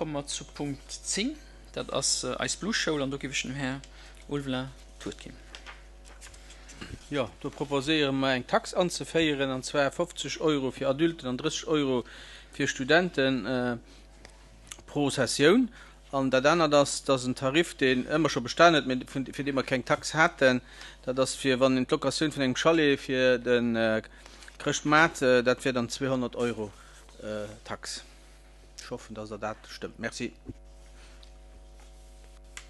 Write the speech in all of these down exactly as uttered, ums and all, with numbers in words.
komme mer zu Punkt zéng. Dat ass eis Blueschoul an do géif ech dem Här Ulveling d'Wuert ginn. Jo, do proposéiere mer eng Tax anzeféieren, an zwar fofzeg Euro fir Adulten an drësseg Euro fir Studenten pro Sessioun. An dat anert ass, dass en Tarif, deen ëmmer scho bestan huet, mee fir dee mer keng Tax haten, dat ass fir wann een d'Locatioun vun engem Chalet fir de Chrëschtmaart, dat wär dann zweehonnert Euro Tax. Ech hoffen, dass Der dat stëmmt. Merci.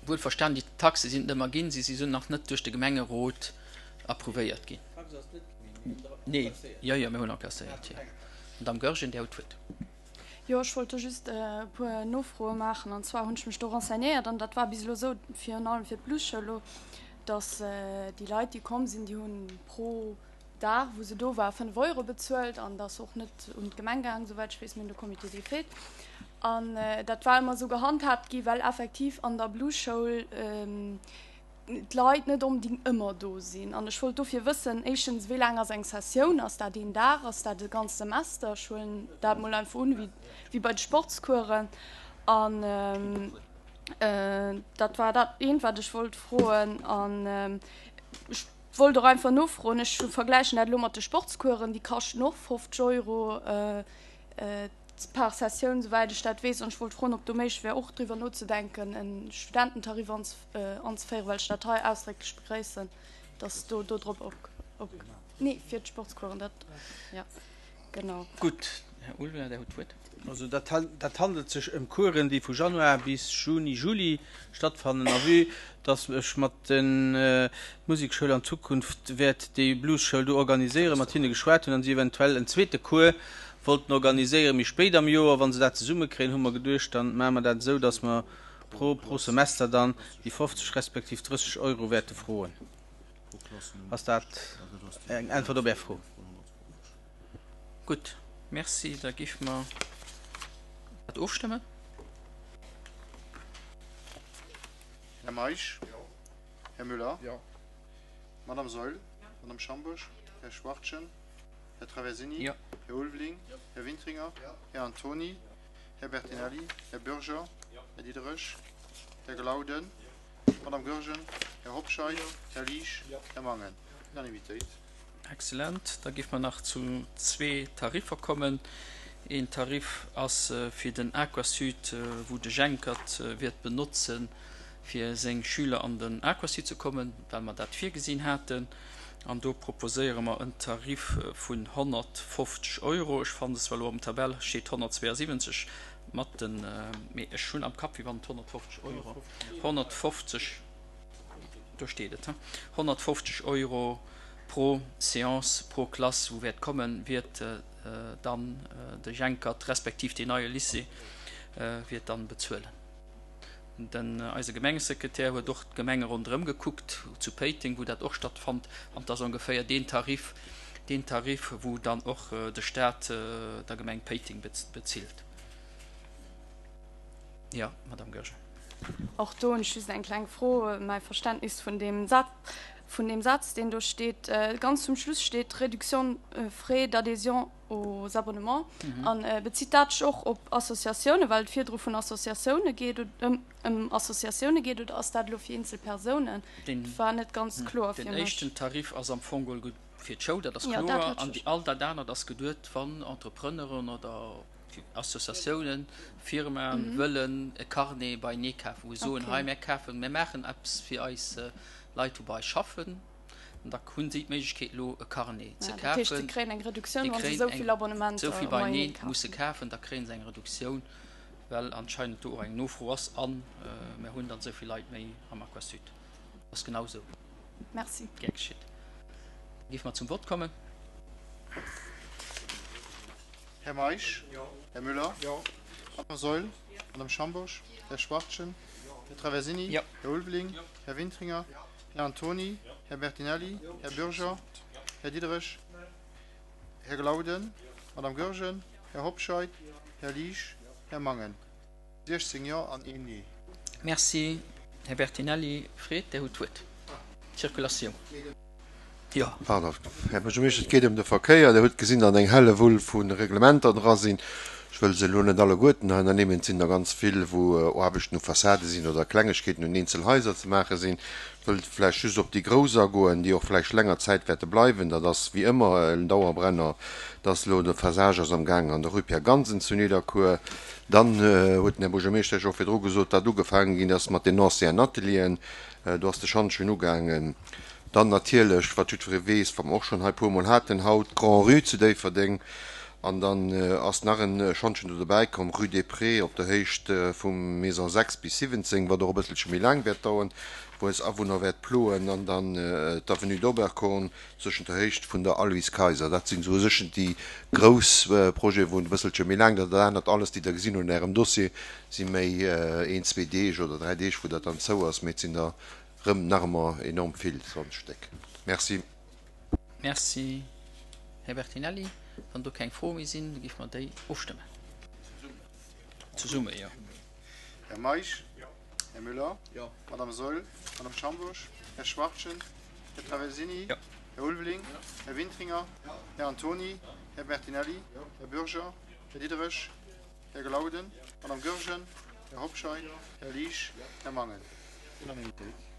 Wuelverstanen, déi Taxe sinn et ëmmer ginn, si si nach net duerch de Gemengerot approuvéiert ginn. Nee, jo, jo, mir hunn encasséiert, jo. Madamm Goergen, Dir hutt d'Wuert. Jo, ech wollt do just e puer Nofroe maachen. An zwar hunn ech mech do renseignéiert an dat war bis elo esou, virun allem fir d'Bluesschoul elo, datt déi Leit, déi komm sinn, déi hu pro Dag, wou se do war, fënnef Euro bezuelt an dat ass och net un d'Gemeng gaangen, souwäit ech weess, mee un de Comité des fêtes. An dat war ëmmer esou gehandhaabt gi well effektiv an der Blueschoul d'Leit net onbedingt ëmmer do sinn. An ech wollt dofir wëssen, éischtens, wéi laang ass eng Sessioun? Ass dat een Dag? Ass dat e ganzt Semester? Ech huelen dat mol einfach un, wéi bei de Sportscoursen. An dat war dat eent, wat ech wollt froen. An ech wollt och einfach nofroen, ech vergläichen dat elo mat de Sportscoursen, déi kaschten och fofzeg Euro par Sessioun, souwäit ech dat weess. An ech wollt froen, ob do méiglech wär, och driwwer nozedenken, e Studententarif anzeféieren, well ech dat hei ausdrécklech begréissen, dass do dodrop op, nee, fir d'Sportscoursen, dat, jo, genau. Gutt, Här Ulveling, Dir hutt d'Wuert. Also dat, dat handelt sech ëm Coursen, déi vu Januar bis Juni, Juli stattfannen. A vue dass ech mat der Musekschoul an Zukunft wäert déi Bluesschoul do organiséieren, mat hinne geschwat hunn an si eventuell en zweete Cours wollten organiséieren méi spéit am Joer, wa se dat zesummekréien, hu mer geduecht, dann maache mer dat esou, dass mer pro, pro Semester dann déi fofzeg respektiv drësseg Euro wäerte froen. Ass dat eng Äntwert op Är Fro? Gutt, merci. Da géife mer dat ofstëmmen. Här Meisch? Här Müller? Madame Saeul? Madame Schambourg? Här Schwachtgen? Här Traversini? Här Ulveling? Här Wintringer? Här Antoni? Här Bertinelli? Här Bürger? Här Diderich? Här Glauden? Madame Goergen? Här Hobscheit? Här Liesch? Här Mangen? Unanimitéit. Excellent. Da géife mer nach zu zwee Tariffer kommen. Een Tarif ass fir den Aquasud, wou de Jenkert wäert benotzen, fir seng Schüler an den Aquasud ze kommen, well mer dat virgesinn haten. An do proposéiere mer en Tarif vun honnertfofzeg Euro. Ech fannen se zwar elo am Tabell steet honnertzweeasiwwenzeg mat den, mee ech hunn am Kapp, wéi wann et honnertfofzeg Euro, honnertfofzeg, do steet et, honnertfofzeg Euro pro Séance, pro Klass, wou wäert kommen, wäert dann de Jenkert respektiv deen neie Lycée wäert dann bezuelen. Den eise Gemengesekretär huet och d'Gemenge ronderëm gekuckt, zu Péiteng, wou dat och stattfannt, an et ass ongeféier deen Tarif, deen Tarif, wou dann och de Stat der Gemeng Péiteng bezilt. Jo, Madame Goergen. Och do hunn ech just eng kleng Fro. Mäi Verständnis vun deem Saz, vun deem Saz, deen do steet, ganz zum Schluss steet Réduction frais d'adhésion aux abonnements. An bezitt dat sech och op Associatiounen, well et virdru vun Associatioune geet, ëm ëm Associatioune geet, oder ass dat elo fir eenzel Persounen? Dat war net ganz kloer fir Den mech. éischten Tarif ass am Fong geholl fir d'Schoul, dat ass Jo, dat kloer. hat An ech déi all dat anert ass geduet, wann Entrepreneuren oder Associatiounen, Firmaen wëllen e Carnet beienee kafen, wou se soen, hei mär kafen, mär maachen eppes fir eis Leit, wou bei eis schaffen. An da hunn si d'Méiglechkeet elo e Carnet ze Ja, dat heescht, se kafen. kréien eng Reduktioun, Déi wa se kréien esou eng, vill Abonnementer esou vill beienee beienee musse kafen. kafen, da kréie se eng Reduktioun, well anscheinend do och eng Nofro ass a mär hunn dann esou vill Leit méi am Aquasud. Ass genau esou. Merci. Gär geschitt. Da géife mer zum Vott kommen. Här Meisch? Här Müller? Madame Saeul? Madame Schambourg? Här Schwachtgen? Här Traversini? Här Ulveling? Här Wintringer? Här Antoni? Här Bertinelli? Här Bürger? Här Diderich? Här Glauden? Madame Goergen? Här Hobscheit? Här Liesch? Här Mangen? siechzéng Jo an een Nee. Merci, Här Bertinelli. Fred, Dir hutt d'Wuert. D'Circulatioun. Jo. Pardon, Här Buergermeeschter, et geet ëm de Verkéier. Dir hutt gesinn, datt eng Hellewull vu Reglementer dra sinn. Ech wëll se elo net alleguerten hei ernimmen, et sinn der ganz vill, wou Aarbechten u Fassade sinn oder Klengegkeeten un eenzel Haiser ze maache sinn. Ech wëll vläicht just op déi grouss agoen, déi och vläicht länger Zäit wäerte bleiwen. Dat ass wéi ëmmer en Dauerbrenner, dass elo de Phasage ass amgaangen an der Rue Pierre Gansen zu Nidderkuer. Dann huet den Här Buergermeeschter jo och virdru gesot, wat ugefaange ginn ass mat den anciens Atelieren. Do ass de Schantjen ugaangen. Dann natierlech, wat jiddweree weess, wat mer och schonn hei e puermol haten haut, d'Grand-Rue zu Déifferdeng. An dann ass nach e Schantjen do dobäi komm, Rue des Prés, op der Héicht vum Maison sechs bis siwwenzéng, wat och e bësselche méi laang wäert dauern, wou eis Awunner wäert ploen. An dann d'Avenue d'Oberkorn zwëschent der Héicht vun der Aloyse Kayser. Dat sinn esou u sech déi grouss Projeten, wou et e bësselche méi laang dauert. Dat anert alles, déi Der gesinn hutt an Ärem Dossier, si méi een, zwee Deeg oder dräi Deeg, wou dat dann zou ass. Mee et sinn der rëm nach ëmmer enorm vill, zwanzeg Stéck. Merci. Merci, Här Bertinelli. Wann do keng Froe méi sinn, da géife mer déi ofstëmmen. Zesumme, jo. Här Meisch? Här Müller? Madame Saeul? Madame Schambourg? Här Schwachtgen? Här Traversini? Här Ulveling? Här Wintringer? Här Antoni? Här Bertinelli? Här Bürger? Här Diderich? Här Glauden? Madame Goergen? Här Hobscheit? Här Liesch? Här Mangen? Unanimitéit.